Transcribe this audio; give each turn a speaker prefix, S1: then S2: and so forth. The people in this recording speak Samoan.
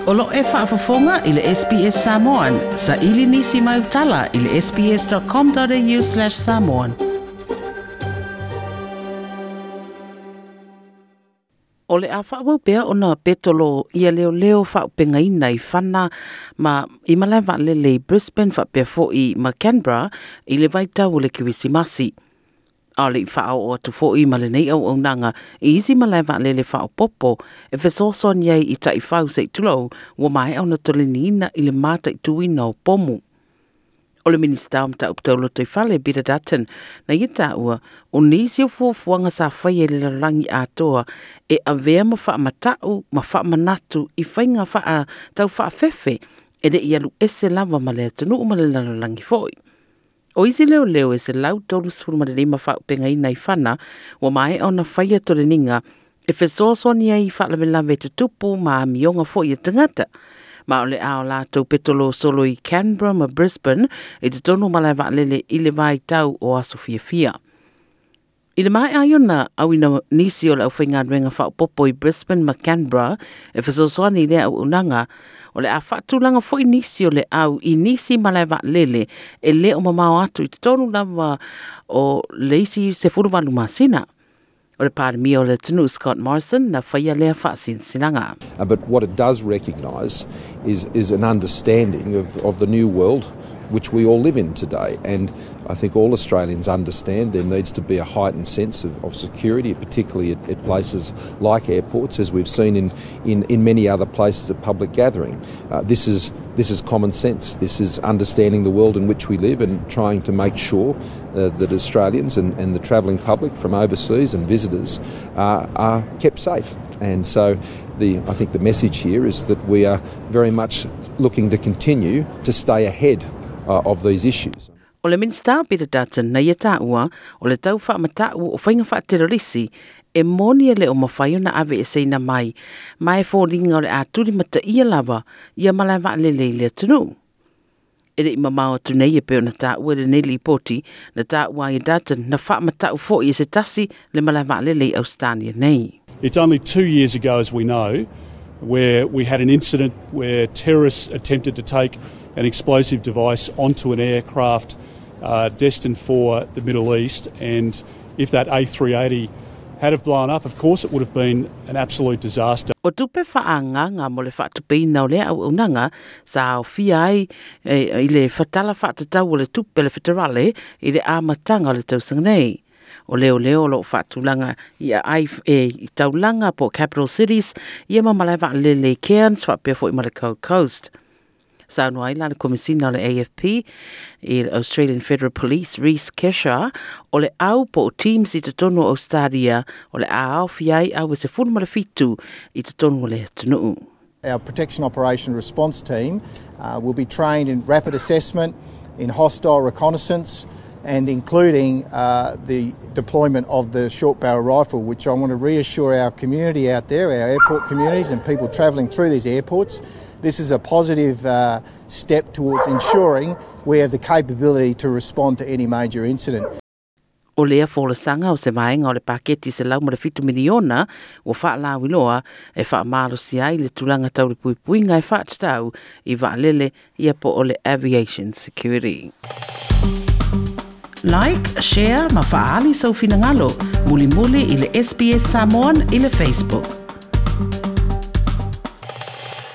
S1: O lo e faafofoga i le SBS Samoan. Saili nisi mai utala i le sbs.com.au/samoan. O le a faaauau pea ona petolo ia leoleo faaaupegaina i fana ma i malae vaalele i Brisbane faapea fo'i ma Canberra i le vaitau o le Kerisimasi. A o le i faaoo atu fo'i ma lenei auaunaga i isi malae vaalele faaopoopo e fesoasoani ai i taifau se i tulou ua maea ona toleniina i le mataituina o pomu. O le Minisita o Mataupu Tau Lotoifale Peter Dutton na ia taua o nisi o fuafuaga sa faia i le lalolagi atoa e avea ma faamata'u ma faamanatu i faiga faa tau faafefe e le i alu ese lava ma le atunuu ma le lalolagi fo'i. O isi leoleo e 135 faaaupegaina i fana ua maea ona faia toleniga e fesoasoani ai i faalavelave tutupu ma amioga fo'i e tagata. Ma o le a o latou petolo solo i Canberra ma Brisbane i totonu malae vaalele i le vaitau o aso fiafia. I le maea ai ona auina nisi o le aufaigaluega faaopoopo i Brisbane ma Canberra e fesoasoani i lea auaunaga, o le a faatulaga foi nisi o le au i nisi malae vaalele e le o mamao atu i totonu lava o le isi 18 masina. O le Palemia o le atunuu Scott Morrison na faia lea faasinasinaga.
S2: But what it does recognise is an understanding of the new world which we all live in today. And I think all Australians understand there needs to be a heightened sense of security, particularly at places like airports, as we've seen in many other places of public gathering. This is common sense. This is understanding the world in which we live and trying to make sure that Australians and the travelling public from overseas and visitors are kept safe. And so I think the message here is that we are very much looking to continue to stay ahead of these issues.
S1: O le Minista Peter Dutton na ia taua o le tau faamata'u o faiga faaterorisi e moni e le o mafai ona aveeseina mai ma e foliga o le a tulimataia lava ia malae vaalele i le atunuu. E le i mamao atu nei e pei ona taua i lenei lipoti na taua ai e Dutton na faamata'u fo'i e se tasi le malae vaalele i Australia nei.
S3: It's only 2 years ago, as we know, where we had an incident where terrorists attempted to take an explosive device onto an aircraft destined for the Middle East. And if that A380 had have blown up, of course, it would have been an absolute disaster.
S1: O tupe faaagaaga mo le faatupeina o lea auaunaga sa aofia ai i le Tala Faatatau o le Tupe le Feterale i le amataga o le tausaga nei. O leoleo o loo faatulaga i ai e i taulaga po capital cities ia ma malae vaalele i Cairns faapea fo'i ma le Gold Coast. Saunoa ai la le Komisina o le AFP i le Australian Federal Police Reece Kesha o le au po o teams i totonu o Australia o le a aofia ai au e 17 i totonu o le atunuu.
S4: Our Protection Operation Response Team will be trained in rapid assessment, in hostile reconnaissance, and including the deployment of the short barrel rifle, which I want to reassure our community out there, our airport communities and people travelling through these airports. This is a positive step towards ensuring we have the capability to respond to any major incident.
S1: O lea folasaga o se vaega o le paketi 107 miliona ua faalauiloa e faamalosia ai le tulaga tau le puipuiga e faatatau i vaalele ia po o le aviation security. Like, share ma faaali sou finagalo. Mulimuli i le SBS Samoan i le Facebook.